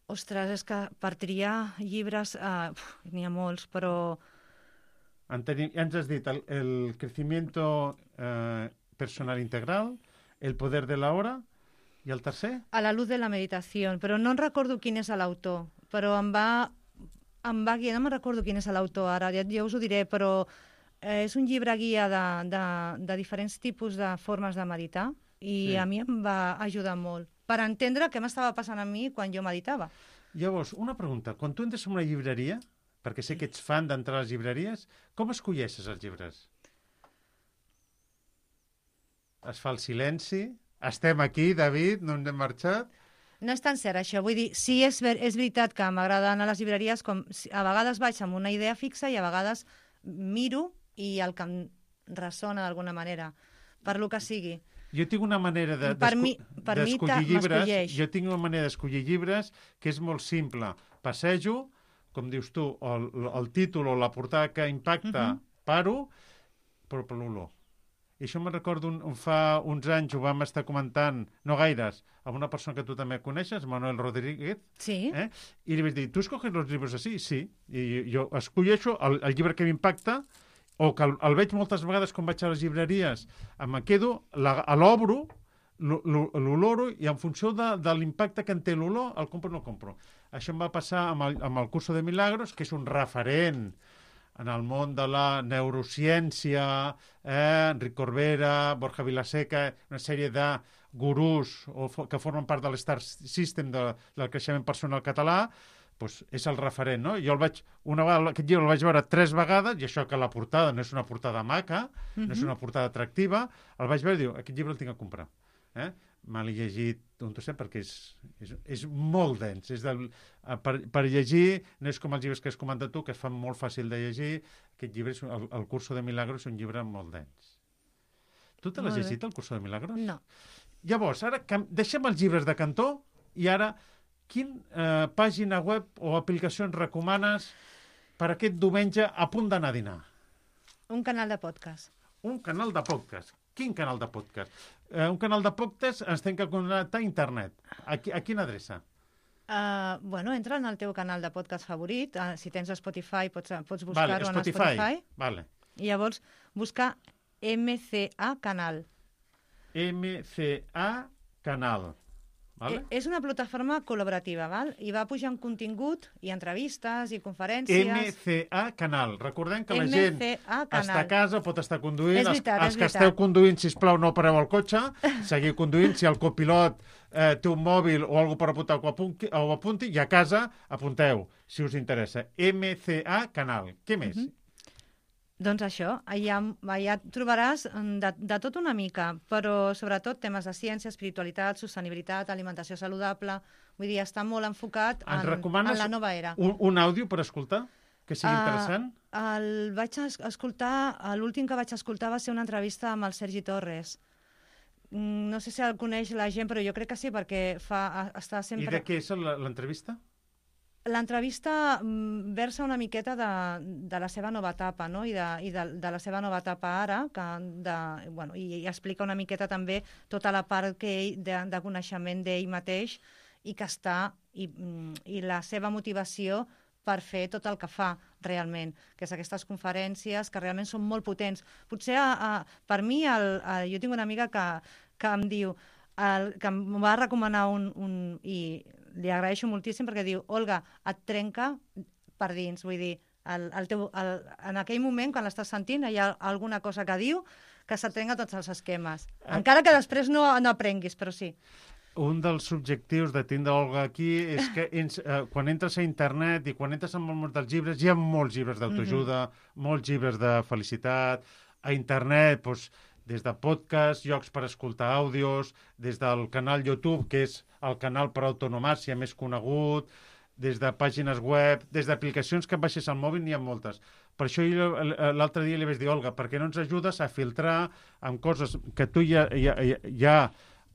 Ostres, és que per triar llibres n'hi ha molts, però... Ens has dit el crecimiento personal integral, el poder de la hora, i el tercer? A la luz de la meditació, però no recordo quin és l'autor, però em va guiar, no me'n recordo quin és l'autor ara, ja us ho diré, però és un llibre guia de diferents tipus de formes de meditar i a mi em va ajudar molt per entendre què m'estava passant a mi quan jo meditava. Llavors, una pregunta, quan tu entres en una llibreria, perquè sé que ets fan d'entrar a les llibreries, com escolleixes els llibres? Es fa el silenci? Estem aquí, David, no hem marxat? No és tan cert, això. Vull dir, sí, és veritat que m'agrada anar a les llibreries, com a vegades vaig amb una idea fixa i a vegades miro i el que ressona d'alguna manera, per lo que sigui. Jo tinc una manera d'escollir llibres. Jo tinc una manera d'escollir llibres que és molt simple. Passejo, com dius tu, el títol o la portada que impacta, paro, però per l'olor. I això me'n recordo, fa uns anys ho vam estar comentant, no gaires, amb una persona que tu també coneixes, Manuel Rodríguez. Sí. I li vaig dir, ¿tu escoges los libros así? Sí. I jo escolleixo el llibre que m'impacta, o que el veig moltes vegades quan vaig a les llibreries, em quedo, l'obro, l'oloro, i en funció de l'impacte que en té l'olor, el compro o no el compro. Això em va passar amb el Curso de Milagros, que és un referent en el món de la neurociència, Enric Corbera, Borja Vilaseca, una sèrie de gurús que formen part de l'Star System del creixement personal català, doncs és el referent, no? Jo una vegada aquest llibre el vaig veure 3 vegades, i això que la portada no és una portada maca, no és una portada atractiva, el vaig veure i diu, aquest llibre el tinc a comprar. Me l'he llegit un trosset perquè és molt dens. Per llegir, no és com els llibres que has comentat tu, que es fan molt fàcil de llegir. Aquest llibre, el Curso de Milagros, és un llibre molt dens. Tu te l'has llegit, el Curso de Milagros? No. Llavors, ara deixem els llibres de cantó i ara, quina pàgina web o aplicacions recomanes per aquest diumenge a punt d'anar a dinar? Un canal de podcast. Un canal de podcast. Quin canal de podcast? Un canal de podcast ens hem de connectar a internet. A quina adreça? Entra en el teu canal de podcast favorit. Si tens Spotify, pots buscar-ho en Spotify. Vale. I llavors buscar MCA Canal. MCA Canal. Vale? És una plataforma col·laborativa, val? I va pujant contingut i entrevistes i conferències. MCA Canal. Recordem que la gent està a casa, pot estar conduint. És veritat, els que esteu conduint, sisplau, no pareu el cotxe, seguiu conduint. Si el copilot té un mòbil o alguna per apuntar, ho apunti, i a casa apunteu, si us interessa. MCA Canal. Què més? Doncs això, allà trobaràs de tot una mica, però sobretot temes de ciència, espiritualitat, sostenibilitat, alimentació saludable. Vull dir, està molt enfocat en la nova era. Un àudio per escoltar, que sigui interessant? L'últim que vaig escoltar va ser una entrevista amb el Sergi Torres. No sé si el coneix la gent, però jo crec que sí, perquè està sempre... I de què és l'entrevista? L'entrevista versa una miqueta de la seva nova etapa, no? I de la seva nova etapa ara, i explica una miqueta també tota la part de coneixement d'ell mateix i que està, i la seva motivació per fer tot el que fa realment, que és aquestes conferències que realment són molt potents. Potser per mi, jo tinc una amiga que em diu, que em va recomanar i li agraeixo moltíssim perquè diu, Olga, et trenca per dins, vull dir, en aquell moment, quan l'estàs sentint, hi ha alguna cosa que diu que se't trenca tots els esquemes. Encara que després no aprenguis, però sí. Un dels objectius de tindre Olga aquí és que quan entres a internet i quan entres en el món dels llibres, hi ha molts llibres d'autoajuda, molts llibres de felicitat. A internet, des de podcast, llocs per escoltar àudios, des del canal YouTube, que és el canal per autonomàcia més conegut, des de pàgines web, des d'aplicacions que baixes al mòbil, n'hi ha moltes. Per això l'altre dia li vaig dir, Olga, per què no ens ajudes a filtrar amb coses que tu ja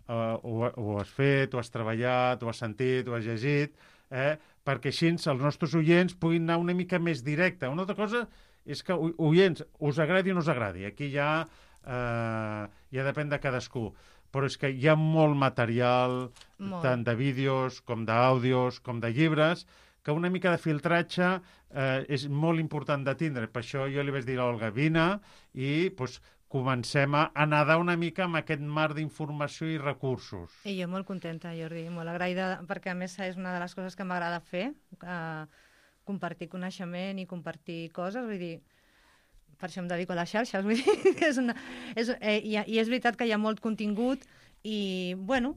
ho has fet, ho has treballat, ho has sentit, ho has llegit, perquè així els nostres oients puguin anar una mica més directe. Una altra cosa és que, oients, us agradi o no us agradi. Aquí ja depèn de cadascú. Però és que hi ha molt material, tant de vídeos, com d'àudios, com de llibres, que una mica de filtratge és molt important de tindre. Per això jo li vaig dir a l'Olga, vine i comencem a nedar una mica amb aquest mar d'informació i recursos. I jo molt contenta, Jordi, molt agraïda, perquè a més és una de les coses que m'agrada fer, compartir coneixement i compartir coses, vull dir, per això em dedico a les xarxes, vull dir, i és veritat que hi ha molt contingut I, bueno,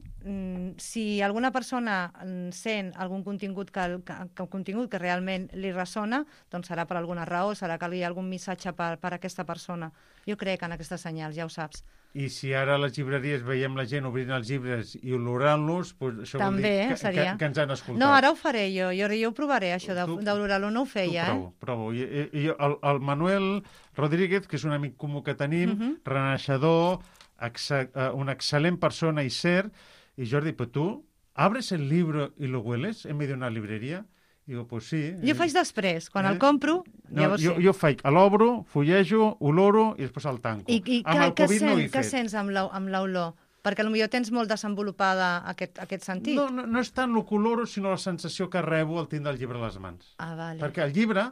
si alguna persona sent algun contingut que realment li ressona, doncs serà per alguna raó, serà que hi ha algun missatge per a aquesta persona. Jo crec en aquestes senyals, ja ho saps. I si ara a les llibreries veiem la gent obrint els llibres i olorant-los, doncs això també, vol dir que ens han escoltat. No, ara ho faré jo ho provaré, això d'olorar-lo, no ho feia. Provo. I el Manuel Rodríguez, que és un amic comú que tenim, renaixedor, una excel·lent persona i cert, i Jordi, però tu abres el libro y lo hueles en medio de una librería? Digo, pues sí. Jo faig després, quan el compro, llavors sí. Jo faig, l'obro, fullejo, oloro i després el tanco. I què sents amb l'olor? Perquè potser tens molt desenvolupada aquest sentit. No és tant el que oloro, sinó la sensació que rebo al tindre el llibre a les mans. Ah, vale. Perquè el llibre,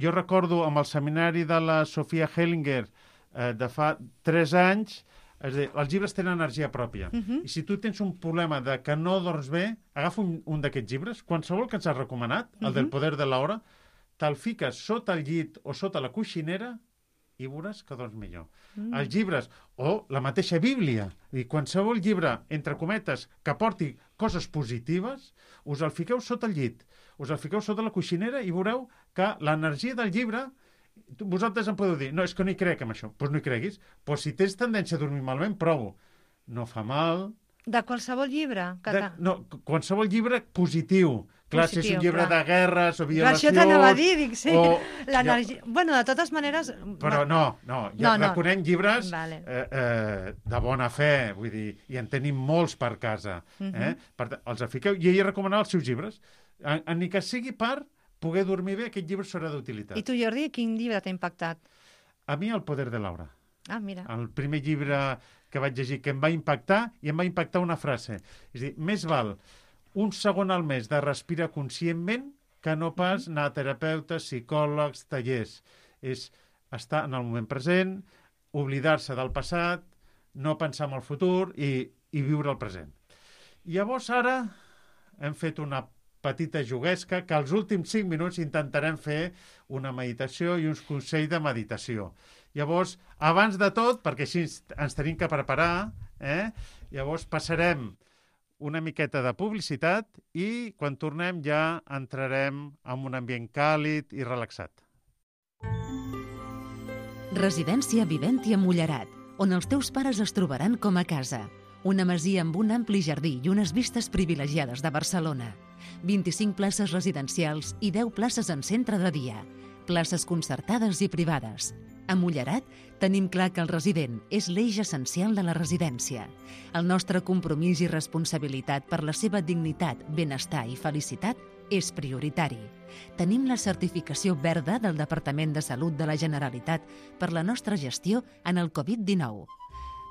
jo recordo amb el seminari de la Sofia Hellinger de fa 3 anys, és a dir, els llibres tenen energia pròpia. I si tu tens un problema de que no dorms bé, agafa un d'aquests llibres, qualsevol que ens has recomanat, el del poder de l'hora, te'l fiques sota el llit o sota la coixinera i veuràs que dorms millor. Els llibres, o la mateixa Bíblia, i qualsevol llibre, entre cometes, que porti coses positives, us el fiqueu sota el llit, us el fiqueu sota la coixinera i veureu que l'energia del llibre, vosaltres em podeu dir, no, és que no hi crec en això. Doncs no hi creguis. Però si tens tendència a dormir malament, provo. No fa mal. De qualsevol llibre? Qualsevol llibre positiu. Clar, si és un llibre de guerres o violacions... Això t'anava a dir, dic, sí. L'energia... Bueno, de totes maneres... Però reconem llibres de bona fe, vull dir, i en tenim molts per casa. Per tant, els fiqueu, i ella recomanava els seus llibres. Ni que sigui per poder dormir bé, aquest llibre serà d'utilitat. I tu, Jordi, quin llibre t'ha impactat? A mi, El poder de l'obra. Ah, mira. El primer llibre que vaig llegir que em va impactar, i em va impactar una frase. És a dir, més val un segon al mes de respirar conscientment que no pas anar a terapeutes, psicòlegs, tallers. És estar en el moment present, oblidar-se del passat, no pensar en el futur i viure el present. Llavors, ara hem fet una petita juguesca que als últims 5 minuts intentarem fer una meditació i uns consells de meditació. Llavors, abans de tot, perquè així ens tenim que preparar, llavors passarem una miqueta de publicitat i quan tornem ja entrarem en un ambient càlid i relaxat. Residència Viventia Mullerat, on els teus pares es trobaran com a casa. Una masia amb un ampli jardí i unes vistes privilegiades de Barcelona. 25 places residencials i 10 places en centre de dia. Places concertades i privades. A Mullerat tenim clar que el resident és l'eix essencial de la residència. El nostre compromís i responsabilitat per la seva dignitat, benestar i felicitat és prioritari. Tenim la certificació verda del Departament de Salut de la Generalitat per la nostra gestió en el Covid-19.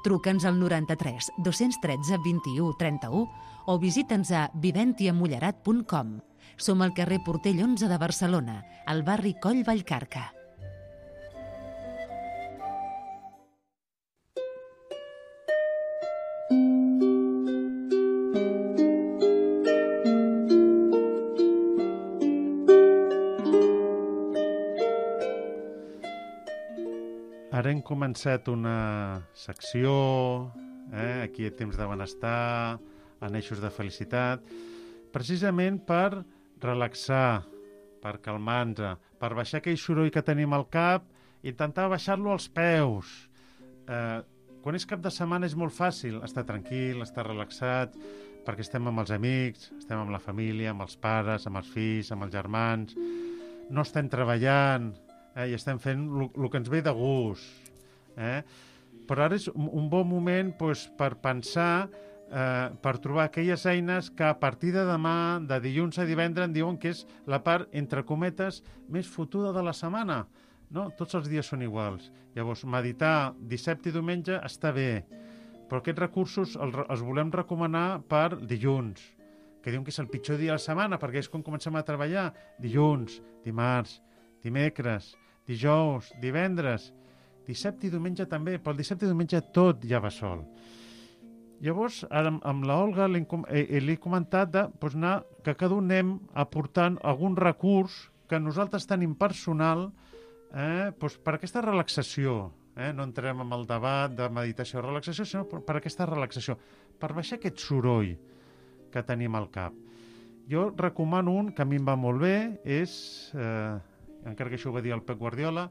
Truca'ns al 93 213 21 31 o visita'ns a viventiamullerat.com. Som al carrer Portell 11 de Barcelona, al barri Coll Vallcarca. Ara hem començat una secció, aquí a Temps de Benestar, en eixos de felicitat, precisament per relaxar, per calmar-nos, per baixar aquell soroll que tenim al cap i intentar baixar-lo als peus. Quan és cap de setmana és molt fàcil estar tranquil, estar relaxat, perquè estem amb els amics, estem amb la família, amb els pares, amb els fills, amb els germans, no estem treballant, i estem fent el que ens ve de gust. Però ara és un bon moment per pensar, per trobar aquelles eines que a partir de demà, de dilluns a divendres, diuen que és la part, entre cometes, més fotuda de la setmana. No? Tots els dies són iguals. Llavors, meditar dissabte i diumenge està bé, però aquests recursos els volem recomanar per dilluns, que diuen que és el pitjor dia de la setmana, perquè és quan comencem a treballar. Dilluns, dimarts, dimecres, dijous, divendres, dissabte i diumenge també, però el dissabte i diumenge tot ja va sol. Llavors, ara amb l'Olga li he comentat que cada un anem aportant algun recurs que nosaltres tenim personal per aquesta relaxació. No entrem en el debat de meditació o relaxació, sinó per aquesta relaxació, per baixar aquest soroll que tenim al cap. Jo recomano un que a mi em va molt bé, és, encara que això ho va dir el Pep Guardiola,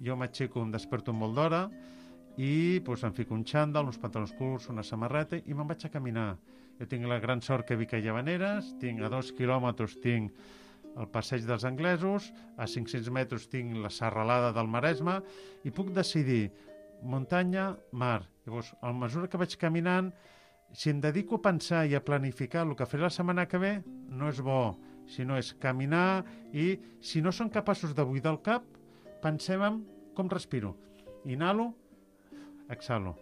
jo m'aixeco, em desperto molt d'hora i doncs, em fico un xandall, uns pantalons curts, una samarreta i me'n vaig a caminar. Jo tinc la gran sort que vic a Llavaneres, tinc a 2 quilòmetres tinc el passeig dels anglesos, a 500 metres tinc la serralada del Maresme i puc decidir muntanya, mar. Llavors, a mesura que vaig caminant, si em dedico a pensar i a planificar el que faré la setmana que ve, no és bo, sinó és caminar i, si no som capaços de buidar el cap, pensem en com respiro. Inhalo, exhalo.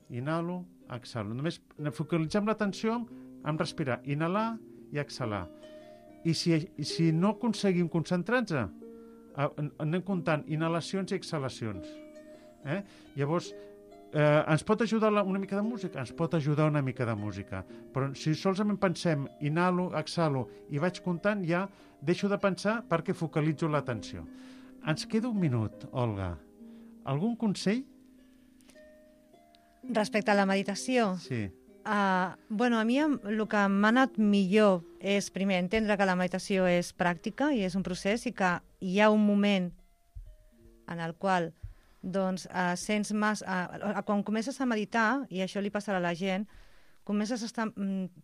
Inhalo, exhalo. Només focalitzem l'atenció en respirar, inhalar i exhalar. I si no aconseguim concentrar-nos, anem comptant inhalacions i exhalacions. Llavors, ens pot ajudar una mica de música? Ens pot ajudar una mica de música. Però si solament pensem inhalo, exhalo i vaig comptant, ja deixo de pensar perquè focalitzo l'atenció. Ens queda un minut, Olga. Algun consell? Respecte a la meditació? Sí. A mi el que m'ha anat millor és, primer, entendre que la meditació és pràctica i és un procés i que hi ha un moment en el qual doncs, sents quan comences a meditar, i això li passarà a la gent,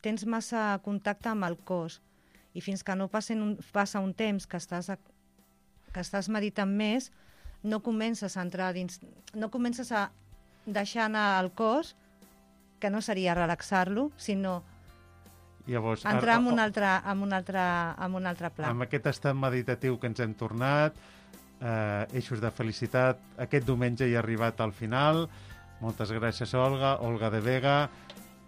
tens massa contacte amb el cos i fins que no passa un temps que estàs meditant més, no comences a entrar dins, no comences a deixar anar el cos, que no seria relaxar-lo, sinó llavors, entrar en un altre pla. Amb aquest estat meditatiu que ens hem tornat, eixos de felicitat, aquest diumenge hi ha arribat al final. Moltes gràcies, Olga. Olga de Vega.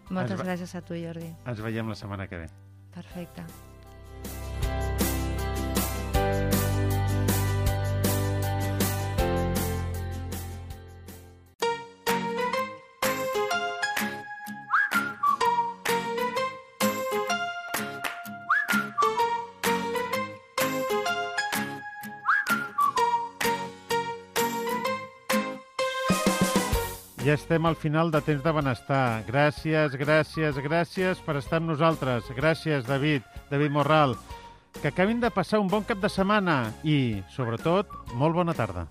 Moltes gràcies a tu, Jordi. Ens veiem la setmana que ve. Perfecte. Ja estem al final de Temps de Benestar. Gràcies, gràcies, gràcies per estar amb nosaltres. Gràcies, David Morral. Que acabin de passar un bon cap de setmana i, sobretot, molt bona tarda.